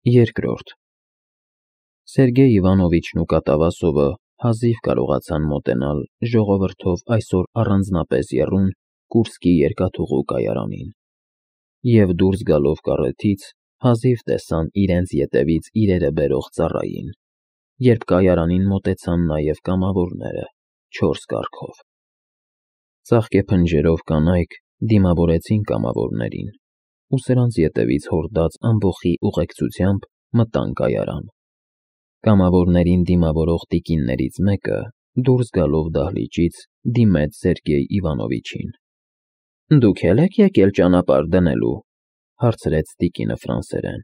Երկրորդ Սերգեյ Իվանովիչն ու Կատավասովը հազիվ կարողացան մոտենալ ժողովրդով այսօր առանձնապես եռուն Կուրսկի երկաթուղու կայարանին, և դուրս գալով կառեթից հազիվ տեսան իրենց ետևից իրերը բերող ծառային, երբ կայարանին մոտեցան նաև կամավորները, 4 կառքով։ Ծաղկե փնջերով կանայք դիմավորեցին կամավորներին ու սրանց ետևից հորդած ամբոխի ուղեկցությամբ մտան կայարան։ Կամավորներին դիմավորող տիկիններից մեկը դուրս գալով դահլիճից դիմեց Սերգեյ Իվանովիչին։ «Դուք էլ եք եկել ճանապարհ դնելու», հարցրեց տիկինը ֆրանսերեն։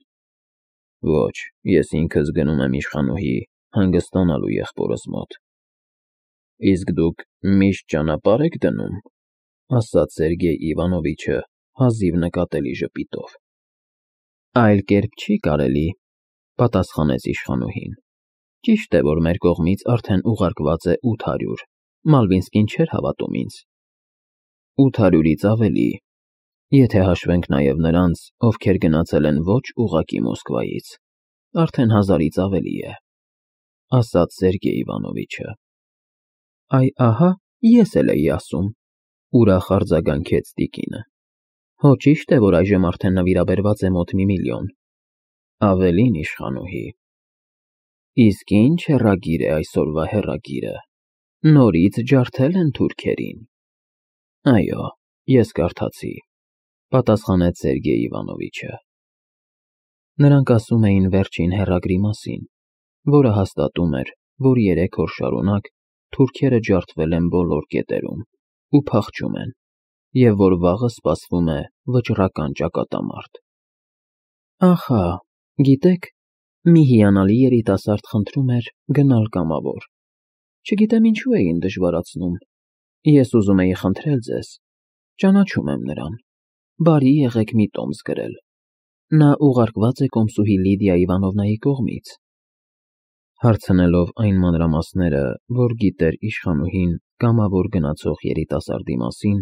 «Ոչ, ես ինքս գնում եմ իշխանուհի հանգստանալու եղբորս մոտ»։ «Իսկ դուք միշտ ճանապարհ եք դնում», ասաց Սերգեյ Իվանովիչը հազիվ նկատելի ժպիտով։ «Այլ կերպ չի կարելի», պատասխանեց իշխանուհին։ «Ճիշտ է, որ մեր կողմից արդեն ուղարկված է 800, Մալվինսկին չէր հավատում ինձ»։ 800-ից ավելի, եթե հաշվենք նաև նրանց, ովքեր գնացել են ոչ ուղղակի Մոսկվայից, արդեն 1000-ից ավելի է, ասաց Սերգեյ Իվանովիչը։ Այ ահա, ես էլ էի ասում, ուրախ արձագանքեց տիկինը։ Հո ճիշտ է, որ այժմ արդեն նվիրաբերված է մոտ 1 միլիոն։ Ավելին, իշխանուհի։ Իսկ ինչ հեռագիր է այսօրվա հեռագիրը։ Նորից ջարդել են թուրքերին։ Այո, ես կարդացի, պատասխանեց Սերգեյ Իվանովիչը։ Նրանք ասում էին վերջին հեռագրի մասին, որը հաստատում էր, որ 3 օր շարունակ թուրքերը ջարդվել են բոլոր կետերում ու փախչում են, և որ վաղը սպասվում է վճռական ճակատամարտ։ Ահա, գիտեք, մի հիանալի երիտասարդ խնդրում էր գնալ կամավոր։ Չգիտեմ ինչու էին դժվարացնում։ Ես ուզում էի խնդրել ձեզ, ճանաչում եմ նրան, բարի եղեք մի տոմս գրել։ Նա ուղարկված է կոմսուհի Լիդիա Իվանովնայի կողմից։ Հարցնելով այն մանրամասները, որ գիտեր իշխանուհին կամավոր գնացող երիտասարդի մասին,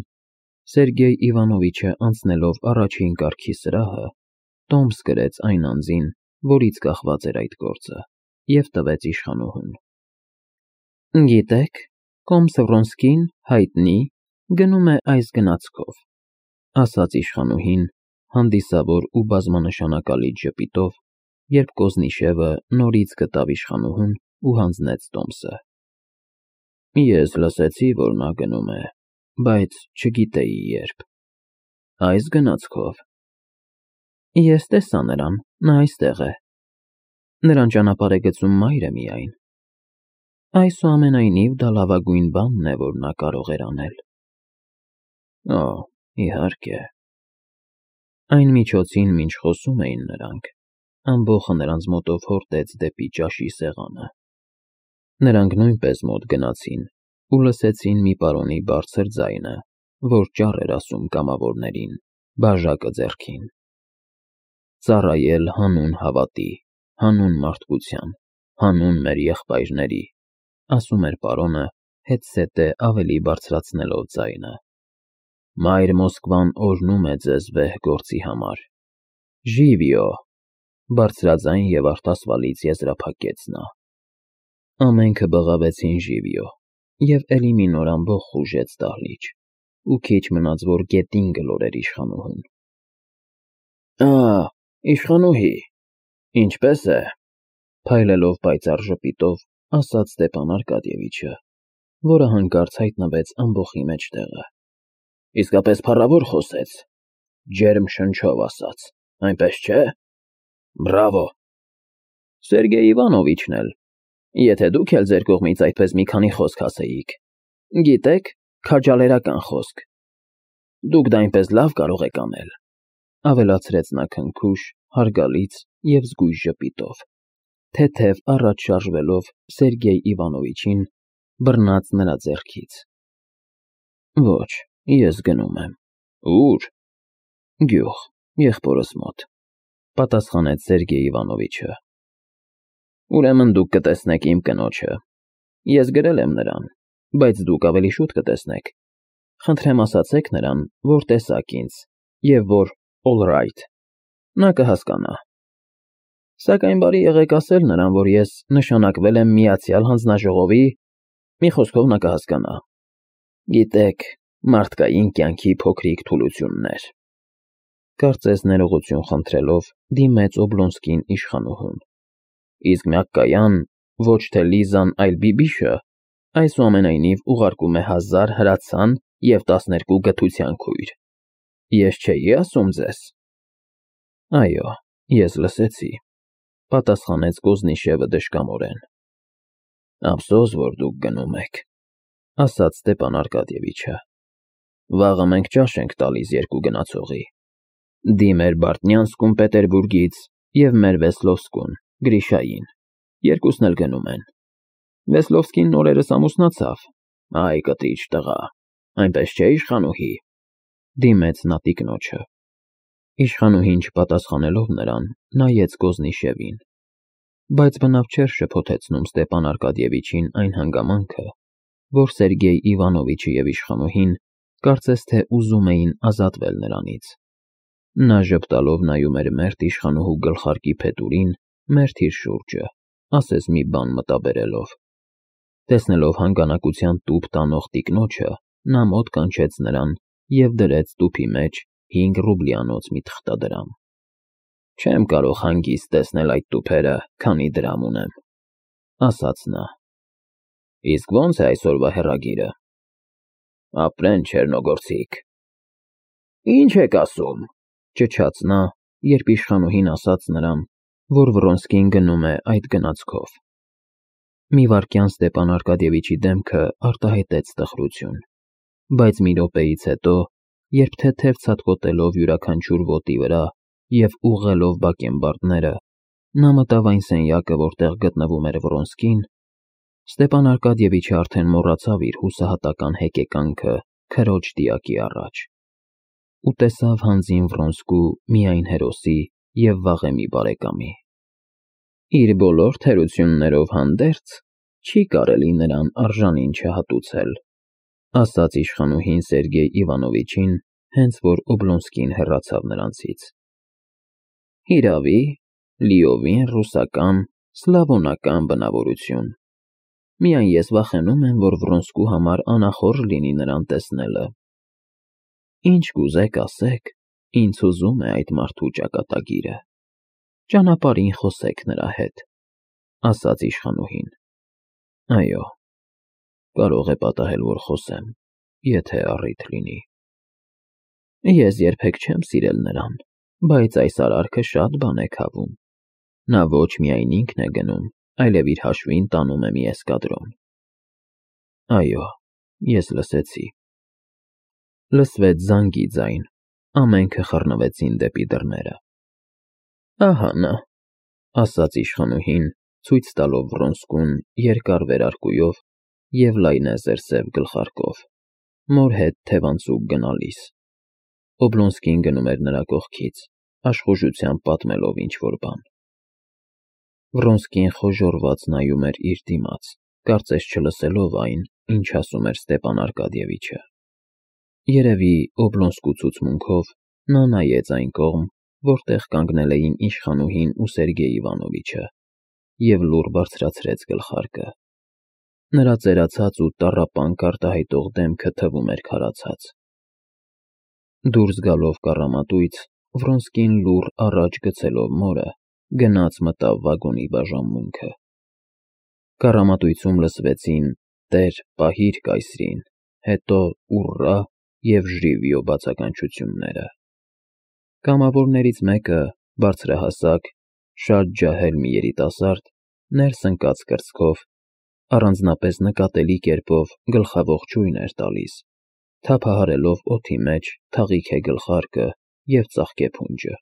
Սերգեյ Իվանովիչը անցնելով առաջին կարգի սրահը, տոմս գրեց այն անձին, որից կախված էր այդ գործը, և տվեց իշխանուհուն։ Գիտեք, կոմս Վրոնսկին հայտնի գնում է այս գնացքով, ասաց իշխանուհին հանդիսավոր ու բազմանշանակալից ժպիտով, երբ Կոզնիշևը նորից գտավ իշխանուհուն ու հանձնեց տոմսը։ Ես լսեցի, որ նա գնում է, բայց չգիտեի երբ։ Այս գնացքով։ Ես տեսա նրան, նա այստեղ է։ Նրան ճանապարհ է գծում մայրը միայն։ Այսուամենայնիվ դա լավագույն բանն է, որ նա կարող էր անել։ Օ, իհարկե։ Այն միջոցին, մինչ խոսում էին նրանք, ամբոխը նրանց մոտով հորդեց դեպի ճաշի սեղանը։ Նրանք նույնպես մոտ գնացին ու լսեցին մի պարոնի բարձր ձայնը, որ ճառ էր ասում կամավորներին, բաժակը ձեռքին։ Ծառայել հանուն հավատի, հանուն մարդկության, հանուն մեր եղբայրների, ասում էր պարոնը, հետզհետե ավելի բարձրացնելով ձայնը։ Մայր Մոսկվան օրհնում է ձեզ վեհ գործի համար։ Ժիվիո, բարձրաձայն և արտասվալից եզրափակեց նա։ Ամենքը բղավեցին ժիվիո, և էլի մի նոր ամբոխ խուժեց դահլիճ, ու քիչ մնաց, որ գետին գլորեր իշխանուհուն։ Ա, իշխանուհի, ինչպե՞ս է, փայլելով պայծառ ժպիտով, ասաց Ստեփան Արկադիևիչը, որը հանկարծ հայտնվեց ամբոխի մեջտեղը։ Իսկապես փառավոր խոսեց, ջերմ շնչով ասաց, այնպես չէ։ Բրավո։ Սերգեյ Իվանովիչն էլ, եթե դուք էլ ձեր կողմից այդպես մի քանի խոսք ասեիք։ Գիտեք, քաջալերական խոսք։ Դուք դա այնպես լավ կարող եք անել, ավելացրեց նա քնքուշ, հարգալից և զգույշ ժպիտով, թեթև առաջ շարժվելով Սերգեյ Իվանովիչին, բռնած նրա ձեռքից։ Ոչ, ես գնում եմ։ Ո՞ւր։ Գյուղ, եղբորս մոտ, պատասխանեց Սերգեյ Իվանովիչը։ Ուրեմն դուք կտեսնեք իմ կնոջը։ Ես գրել եմ նրան, բայց դուք ավելի շուտ կտեսնեք։ Խնդրեմ ասացեք նրան, որ տեսաք ինձ, և որ all right։ Նա կհասկանա։ Սակայն բարի եղեք ասել նրան, որ ես նշանակվել եմ Միացյալ Հանձնաժողովի, մի խոսքով նա կհասկանա։ Գիտեք, մարդկային կյանքի փոքրիկ թուլություններ։ Կարծես ներողություն խնդրելով դիմեց Օբլոնսկին իշխանուհուն։ Իսկ միակկայան, ոչ թե Լիզան, այլ Բիբիշը, այսուամենայնիվ ուղարկում է 1000 հրացան և 12 գթության քույր։ Ես չէի ասում ձեզ։ Այո, ես լսեցի, պատասխանեց Կոզնիշևը դժկամորեն։ Ափսոս, որ դուք գնում եք, ասաց Ստեպան Արկադիևիչը։ Վաղը մենք ճաշ ենք տալիս երկու գնացողի։ Դիմեր Բարտնյանսկուն Պետերբուրգից և մեր Վեսլովսկուն, Գրիշային, երկուսն էլ գնում են։ Վեսլովսկին նորերս ամուսնացավ, այ կտիչ տղա, այնպես չէ իշխանուհի, դիմեց նա տիկնոջը։ Իշխանուհին չպատասխանելով նրան, նայեց Կոզնիշևին, բայց բնավ չէր շփոթեցնում Ստեպան Արկադիևիչին այն հանգամանքը, որ Սերգեյ Իվանովիչը և իշխանուհին կարծես թե ուզում էին ազատվել նրանից։ Նա ժպտալով նայում էր մերթ իշխանուհու գլխարկի փետուրին, մերթ իր շուրջը, ասես մի բան մտաբերելով։ Տեսնելով հանգանակության տուփ տանող տիկնոջը, նա մոտ կանչեց նրան և դրեց տուփի մեջ 5 ռուբլյանոց մի թղթադրամ։ Չեմ կարող հանգիստ տեսնել այդ տուփերը, քանի դրամ ունեմ, ասաց նա։ Իսկ ո՞նց է այսօրվա հեռագիրը։ Ապրեն չեռնոգորցիք։ Ինչ եք ասում, ճչաց նա, երբ իշխանուհին ասաց նրան, որ Վրոնսկին գնում է այդ գնացքով։ Մի վայրկյան Ստեպան Արկադիևիչի դեմքը արտահայտեց տխրություն, բայց մի րոպեից հետո, երբ թեթև ցատկոտելով յուրաքանչյուր ոտի վրա և ուղղելով բակենբարդները, նա մտավ այն սենյակը, որտեղ գտնվում էր Վրոնսկին, Ստեպան Արկադիևիչը արդեն մոռացավ իր հուսահատական հեկեկանքը քրոջ դիակի առաջ ու տեսավ հանձին Վրոնսկու միայն հերոսի և վաղեմի բարեկամի։ Իր բոլոր թերություններով հանդերձ չի կարելի նրան արժանին չհատուցել, ասաց իշխանուհին Սերգեյ Իվանովիչին, հենց որ Օբլոնսկին հեռացավ նրանցից։ Հիրավի, լիովին ռուսական, սլավոնական բնավորություն։ Միայն ես վախենում եմ, որ Վրոնսկու համար անախորժ լինի նրան տեսնելը։ Ինչ կուզեք ասեք, ինձ հուզում է այդ մարդու ճակատագիրը։ Ճանապարհին խոսեք նրա հետ, ասաց իշխանուհին։ Այո, կարող է պատահել, որ խոսեմ, եթե առիթ լինի։ Ես երբեք չեմ սիրել նրան, բայց այս արարքը շատ բան է քավում։ Նա ոչ միայն ինքն է գնում, այլև իր հաշվին տանում է մի էսկադրոն։ Այո, ես լսեցի։ Լսվեց զանգի ձայն, ամենքը խռնվեցին դեպի դռները։ Ահա նա, ասաց իշխանուհին, ցույց տալով Վրոնսկուն երկար վերարկուով և լայնեզր սև գլխարկով, մոր հետ թևանցուկ գնալիս։ Օբլոնսկին գնում էր նրա կողքից, աշխուժությամբ պատմելով ինչ-որ բան։ Վրոնսկին խոժոռված նայում էր իր դիմաց, կարծես չլսելով այն, ինչ ասում էր Ստեպան Արկադիևիչը։ Երևի Օբլոնսկու ցուցմունքով նա նայեց այն կողմ, որտեղ կանգնել էին իշխանուհին ու Սերգեյ Իվանովիչը, և լուռ բարձրացրեց գլխարկը։ Նրա ծերացած ու տառապանք արտահայտող դեմքը թվում էր քարացած։ Դուրս գալով կառամատույց, Վրոնսկին լուռ առաջ գցելով մորը, գնաց մտավ վագոնի բաժանմունքը։ Կառամատույցում լսվեցին «Տեր, պահիր կայսրին», հետո «Ուռա» և «Ժիվիո» բացականչությունները։ Կամավորներից մեկը, բարձրահասակ, շատ ջահել մի երիտասարդ, ներս ընկած կրծքով, առանձնապես նկատելի կերպով գլխաողջույն էր տալիս, թափահարելով օդի մեջ թաղիք է գլխարկը և ծաղկե փունջը։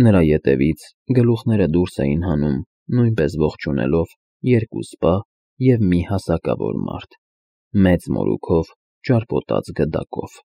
Նրա ետևից գլուխները դուրս էին հանում, նույնպես ողջունելով, երկու սպա և մի հասակավոր մարդ, մեծ մորուքով, ճարպոտած գդակով։